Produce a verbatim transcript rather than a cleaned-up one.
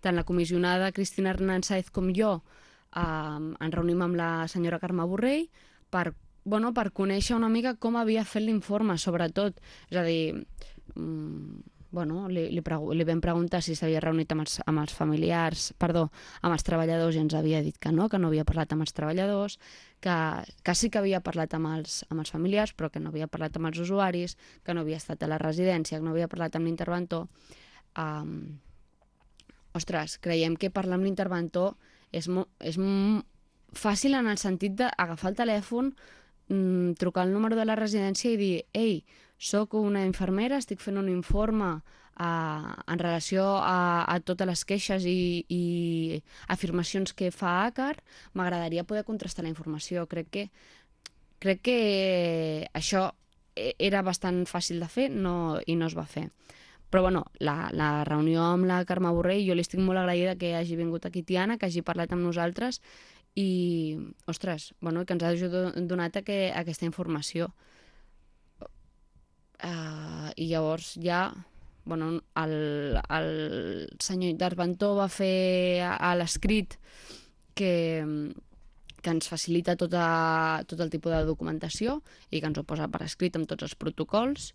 tant la comissionada Cristina Hernán Sáez com jo eh, ens reunim amb la senyora Carme Borrell per, bueno, per conèixer una mica com havia fet l'informe, sobretot. És a dir, mm, bueno, li, li, pregu li vam preguntar si s'havia reunit amb els, amb els familiars, perdó, amb els treballadors, i ens havia dit que no, que no havia parlat amb els treballadors, que, que sí que havia parlat amb els, amb els familiars, però que no havia parlat amb els usuaris, que no havia estat a la residència, que no havia parlat amb l'interventor. Um, ostres, creiem que parlar amb l'interventor és, és fàcil en el sentit d'agafar el telèfon, mm, trucar al número de la residència i dir: ei, soc una infermera, estic fent un informe uh, en relació a, a totes les queixes i, i afirmacions que fa ACAR, m'agradaria poder contrastar la informació. Crec que, crec que això era bastant fàcil de fer, no, i no es va fer. Però bueno, la, la reunió amb la Carme Borrell, jo li estic molt agraïda que hagi vingut aquí Tiana, que hagi parlat amb nosaltres i, ostres, bueno, que ens hagi donat que, aquesta informació. Uh, I llavors ja, bueno, el, el senyor interventor va fer a, a l'escrit que, que ens facilita tota, tot el tipus de documentació i que ens ho posa per escrit amb tots els protocols.